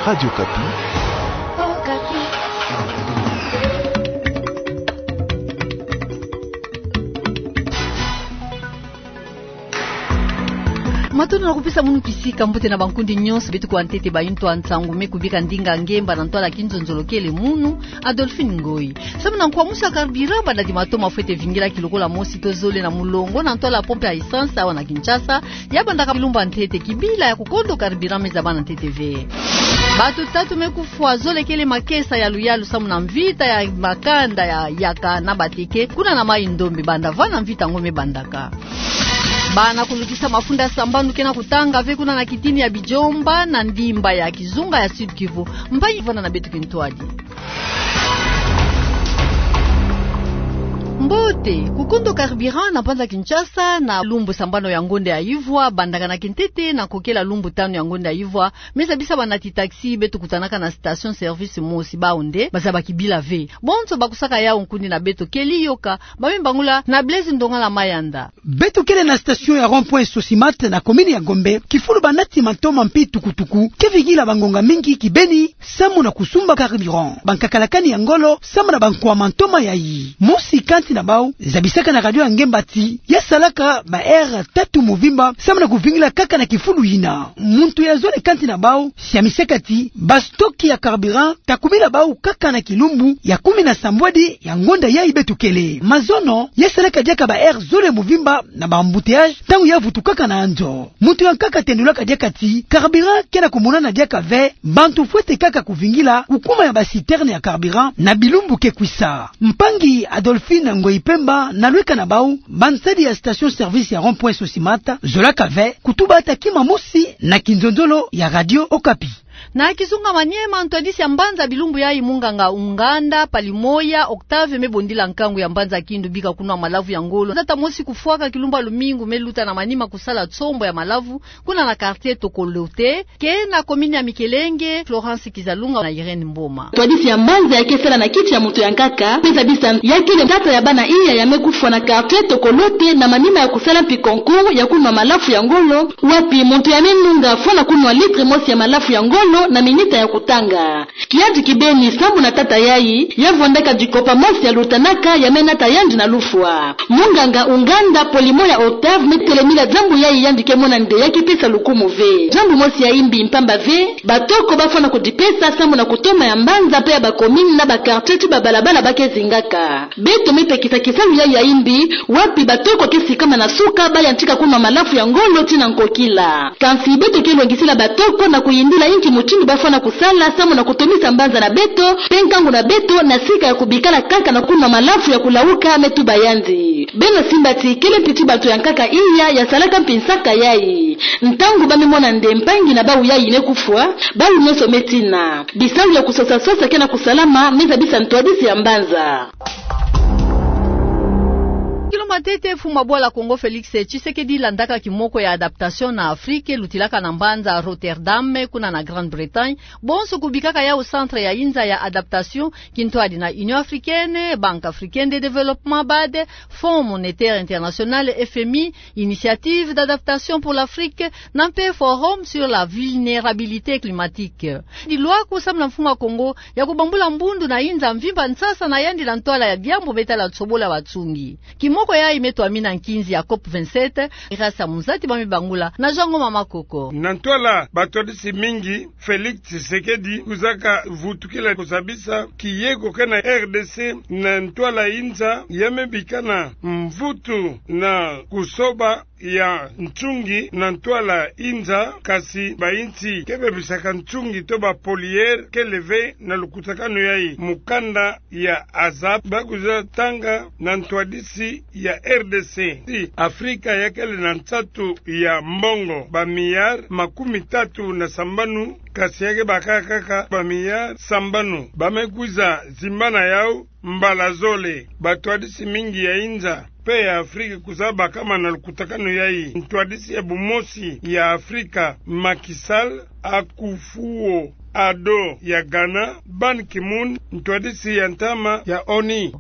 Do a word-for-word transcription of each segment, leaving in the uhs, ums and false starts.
Radio Okapi. Matondo na kupesa munu kisika. Mbote na bankundi nyonso beto kuwa ntete ba yintu ya nsangu me kubika ndinga ngemba na ntwala kinzonzolo kele munu, Adolphine Ngoyi. Samu na nkuamusa carburant, banda di matoma fwete vingila kilokola mosi to zole na mulongo na ntwala pompe ya essence awa na Kinshasa, ya bandaka lumbu ya ntete kibila ya kukondo carburant me zaba na ntete ve. Bato tatu me kufwa, zole kele makesa ya luyalu samu na mvita ya makanda ya yaka na bateke kuna na Maï-Ndombe, banda vana mvita yango me bandaka. Bana kulukisa mafunda sambanu ke na kutanga ve kuna na kitini ya Bijomba na ndimba ya Kizunga ya Sud-Kivu. Mpangi, vanda na beto kintwadi. Mbote, kukondo carburant na mbanza Kinshasa na lumbu sambanu ya ngonda ya ivwa, bandaka na kintete na kokela lumbu tanu ya ngonda ya ivwa, me zabisa banati taxi beto kutanaka na station-service mosi, bawu nde bazaba kibila ve. Bonso bakusaka yawu nkundi na beto kele yoka, ba me bangula na Blaise Ndongala Mayanda. Beto kele na station ya rond-point Sosimat na commune ya Gombe, kifulu banati mantoma mpe tukutuku ke vingila bangonga mingi kibeni samu na kusumba carburant, bankakalakani ya ngolo samu na bankwa mantoma yayi. Mosi kati na bawu zabisaka na radio ya ngemba ti ya salaka ba heure tatu muvimba samu na kuvingila kaka na kifulu yina. Muntu ya zole kati na bawu siamisaka ti ba stock ya carburant ta kumila bawu kaka na kilumbu ya kumi na sambwadi ya ngonda yayi beto kele. Mazono, ya salaka diaka ba heure zole muvimba na ba embouteillage ntangu ya vutukaka na nzo. Muntu ya nkaka tendulaka diaka ti carburant ke na kumonana diaka ve, bantu fwete kaka kuvingila kukuma ya ba citerne ya carburant na bilumbu ke kwisa. Mpangi Adolphine Ngoyi Pemba na lweka na bawu, bansadi ya station-service ya rond-point Sosimat, zolaka ve kutuba ata kima mosi na kinzonzolo ya Radio Okapi. Na Kizunga Maniema, ntwadisi ya mbanza bilumbu yayi, munganga Unganda Palimoya Octave, me bondila nkangu ya mbanza Kindu bika kunwa malavu ya ngolo. Nzata mosi kufwaka kilumbu ya lumingu me luta na manima kusala tsombo ya malavu kuna na quartier Tokolote, ke na commune ya Mikelenge, Florence Kizalunga na Irène Mboma. Ntwadisi ya mbanza ya ke sala na kiti ya muntu ya nkaka, me zabisa ya kele tata ya bana iya ya me kufwa na quartier Tokolote na manima ya kusala mpi concours ya kunwa malavu ya ngolo, wapi muntu ya me nunga fwana kunwa litre mosi ya malavu ya ngolo na minita ya kutanga. Kiadi kibeni samu na tata yayi, ya vwandaka dikopa mosi ya lutanaka ya me nata yandi na lufwa. Munganga Unganda Polimoya Octave me telemila diambu yayi yandi ke mona nde ya ke pesa lukumu ve. Diambu mosi ya imbi mpamba ve, batoko ba fwana kudipesa samu na kutoma ya mbanza mpe ya ba commune na ba quartier ti ba balabala ba ke zingaka. Beto me pekisa kisalu yayi ya imbi, wapi batoko ke sikama na suka, ba yantika kunwa malavu ya ngolo tii na nkokila. Kansi beto ke longisila batoko na kuyindila inki mutindu ba fwana kusala samu na kutomisa mbanza na beto mpe nkangu na beto na sika ya kubikala kaka na kunwa malavu ya kulawuka me tuba yandi. Beno simba ti kele mpiti bantu ya nkaka iya ya salaka mpi nsaka yayi. Ntangu ba me mona nde mpangi na bawu yayi me kufwa, bawu nyonso me tina. Bisalu ya kusosa-sosa ke na kusalama, me zabisa ntwadisi ya mbanza. Kilo matete, mfumu ya bwala Kongo Félix Tshisekedi landaka kimoko ya adaptation na Afrique, lutilaka na mbanza Rotterdam, kuna na Grande-Bretagne, bonso kubikaka yawu centre ya inza ya adaptation, kintwadi na Union Africaine, Banque Africaine de Développement, bad, Fonds Monétaire International, F M I, Initiative d'adaptation pour l'Afrique, na mpe Forum sur la vulnérabilité climatique. Dilwaku samu na mfumu ya Kongo ya kubambula mbundu na inza mvimba nsasa na yandi na ntwala ya diambu me tala tsobola batsungi. Kimoko yayi me twamina nkinzi ya COP vingt-sept, Grace Amunzati ba me bangula na Jean Ngoma Makoko. Na ntwala batwadisi mingi, Félix Tshisekedi kwizaka vutukila kuzabisa kiyeko ke na R D C na ntwala inza ya me bikana mvutu na kusoba ya ntsungi na ntwala inza, kansi bayinsi ke bebisaka ntsungi to ba pollueurs kele ve na lukutakanu yayi. Mukanda ya ASAP ba kwiza tanga na ntwadisi ya R D C ti Afrika ya kele na nsatu ya mbongo, ba milliards makumi tatu na sambanu, kansi ya ke baka kaka ba milliards sambanu. Ba me kwiza zimbana yawu mbala zole. Batwadisi mingi ya inza mpe ya Afrika kwiza bakama na lukutakanu yayi. Ntwadisi ya bumosi ya Afrika, Macky Sall, Akufo-Addo ya Ghana, Ban Ki-moon, ntwadisi ya ntama ya ONU.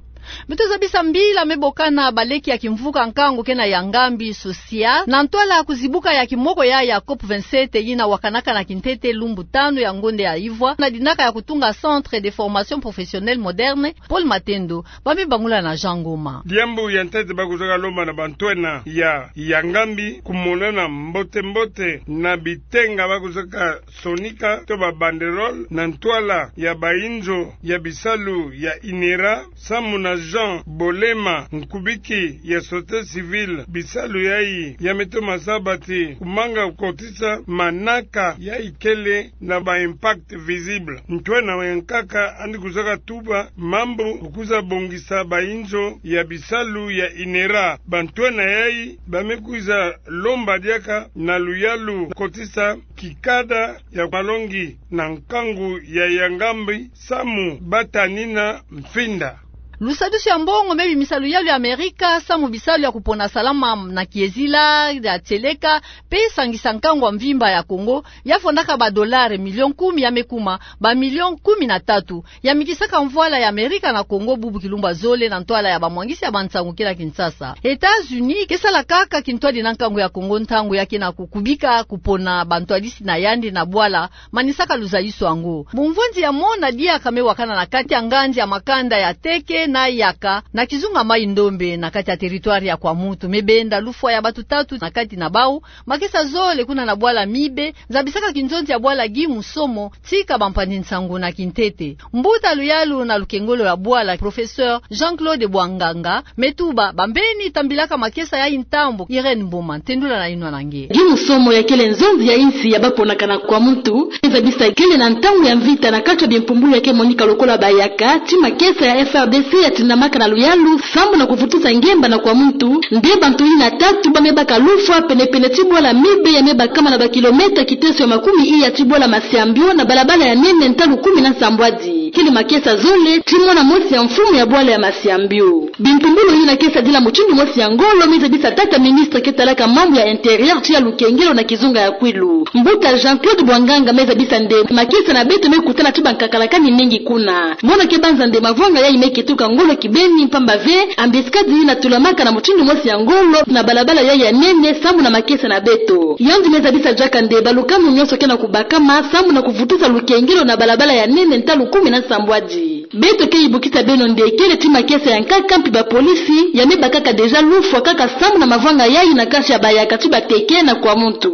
Beto zabisa mbila me bokana baleki ya kimvuka nkangu kena ya ngambi social, na ntwala ya kuzibuka ya kimoko ya, ya COP vingt-sept yina wakanaka na kintete lumbu tanu ya ngonde ya ivwa, na dinaka ya kutunga Centre de Formation Professionnelle Moderne, Paul Matendo, ba me bangula na Jean Ngoma. Diambu ya ntete ba kuzaka lomba na bantwenia ya, ya ngambi, kumonana mbote-mbote na bitenga ba kuzaka sonika, to ba banderole, na ntwala ya bainzo ya bisalu ya INERA, samu na Jean Bolema, nkubiki ya société civile, bisalu yayi ya me toma zaba ti kumanga kotisa manaka yayi kele na ba impact visible. Ntwenia ya nkaka yandi kuzaka tuba mambu ku kwiza bongisa bainzo ya bisalu ya INERA. Bantwenia yayi ba me kwiza lomba diaka na luyalu kotisa kikada ya malongi na nkangu ya, ya ngambi, samu ba tanina mfinda. Lusadusu ya mbongo me bimisa luyalu ya Amerika samu bisalu ya kupona salama na kiezila, ya tieleka, pe sangisa nkangu ya mvimba ya Kongo, ya fondaka ba dolare milion kumi, ya me kuma ba milion kumi na tatu, ya mikisaka mvwala ya Amerika na Kongo bubu kilumbu ya zole na ntwala ya bamwangisi ya bansangu kina Kinshasa. États-Unis ke sala kaka kintwadi na nkangu ya Kongo ntangu ya ke na kukubika kupona bantwadisi na yandi na bwala manisaka luzayisu yango. Bumvwenzi ya mona diaka me wakana na kati ya nganzi ya makanda ya teke na yaka na kizunga Mai-Ndombe na kati ya territoire ya Kwamouth, me benda lufwa ya batu tatu, na kati na bau makesa zole kuna na bwala Mibe, zabisaka kinzonzi ya bwala Guy Musomo, tika bampanzi nsangu na kintete. Mbuta luyalu na lukengolo ya bwala, professeur Jean-Claude Bwanganga, me tuba bambeni tambilaka makesa yayi ntambo. Irène Mboma, tendula na inwa na nge. Guy Musomo ya kele nzonzi ya insi ya baponaka na Kwamouth, me zabisa kele na ntangu ya mvita na kati ya bimpumbulu ya ke monika lokola bayaka, ti makesa ya F R D C ya tindamaka na luyalu, sambu na kuvutusa ngemba na Kwamouth, nde bantu yina tatu ba me baka lufwa pene-pene ti bwala Mibe ya me bakama na ba kilomètre kiteso ya makumi iya ti bwala Masiambio na balabala ya nene ntalu kumi na nsambwadi. Kele makesa zole ti mwana mosi ya mfumu ya bwala ya Masiambio. Bimpumbulu yina ke sadila mutindu mosi ya ngolo, me zabisa tata ministre ke talaka mambu ya intérieur ti ya lukengelo na kizunga ya Kwilu. Mbuta Jean-Claude Bwanganga me zabisa nde makesa na beto me kutana ti bankakalakani mingi kuna. Mona ke banza nde mavwanga yayi me kituka ngolo kibeni, mpamba ve embuscade yina tulamaka na mutindu mosi ya ngolo na balabala yayi ya nene sambu na makesa na beto. Yandi me zabisa diaka nde balukamu nyonso ke na kubakama sambu na kuvutusa lukengelo na balabala ya nene ntalu kumi na nsambwadi. Beto ke yibukisa beno nde kele ti makesa ya nkaka mpi bapolisi ya me bakaka déjà lufwa kaka sambu na mavwanga yayi na kati ya bayaka ti bateke na Kwamouth.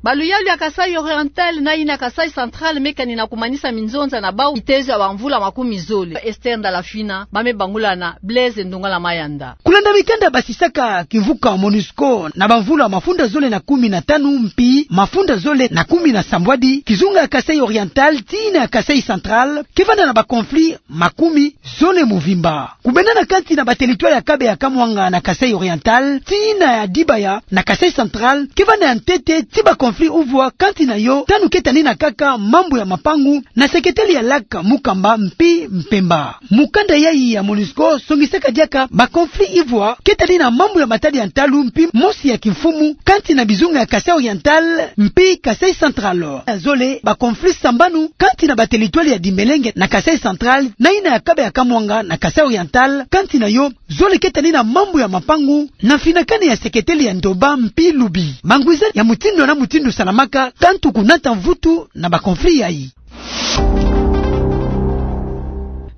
Ba luyalu ya Kasaï Oriental na yina ya Kasaï Central me kanina kumanisa minzonza na bau bitezo ya bamvula makumi zole. Esther Ndalafina, ba me bangula na Blaise Ndongala Mayanda. Kulanda mikanda basisaka kimvuka MONUSCO na bamvula mafunda zole na kumi na tanu mpi mafunda zole na kumi na sambwadi, kizunga ya Kasaï Oriental ti yina ya Kasaï Central ke vanda na ba conflit makumi zole mvimba. Kubendana kati na ba territoire ya Kabe ya Kamwanga na Kasaï Oriental, ti yina ya Dibaya na Kasaï Central, ke vanda ya ntete ti ba conflit uvwa kati na yo tanu ke tanina kaka mambu ya mapangu na seketeli ya Lac Mukamba mpi Mpemba. Mukanda yayi ya MONUSCO songisaka diaka ba conflit ivwa ke tanina mambu ya matadi ya ntalu mpi mosi ya kimfumu kati na bizunga ya Kasaï Oriental mpi Kasaï Central. Ya zole, ba conflit sambanu kati na ba territoire ya Dimbelenge na Kasaï Central na yina ya Kabe ya Kamwanga na Kasaï Oriental, kati na yo zole ke tanina mambu ya mapangu na mfinakani ya seketeli ya Ndoba mpi Lubi. Mangwiza ya mutindu na mutindu salamaka tantu kunata mvutu na ba conflit yayi.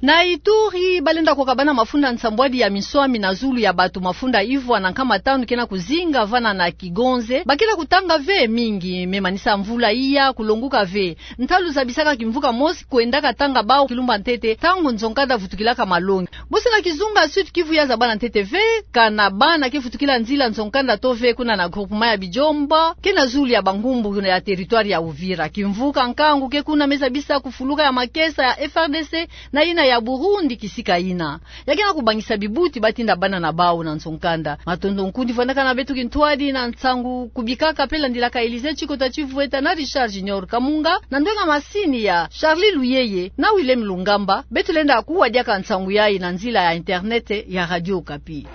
Na Ituri, balenda kukabana mafunda nsambwadi ya minswami na zulu ya bato mafunda ivwa na nkama tanu ke na kuzinga vana na Kigonze, ba ke na kutanga ve mingi, me manisa mvula iya kulonguka ve. Ntalu zabisaka kimvuka mosi kwendaka tanga bau kilumbu ya ntete, ntangu nzo-nkanda vutukilaka malongi. Bosi na kizunga Sud-Kivu ya zabana ntete ve, kana bana ke vutukila nzila nzo-nkanda to ve kuna na groupement ya Bijombo, ke na zulu ya bankumbu ya territoire ya Uvira. Kimvuka nkangu ke kuna me zabisa kufuluka ya makesa ya F R D C na yina ya Burundi kisika yina. Ya ke na kubangisa bibuti ba tinda bana na bau na nzo-nkanda. Matondo nkundi vandaka na beto kintwadi na nsangu kubikaka pe landilaka Élisée Tchikota Tchivweta na Richard Junior Kamunga, na ndwenga masini ya Charlie Luyeye na Willem Lungamba. Beto lenda kuwa diaka nsangu yayi na nzila ya internet ya Radio Okapi.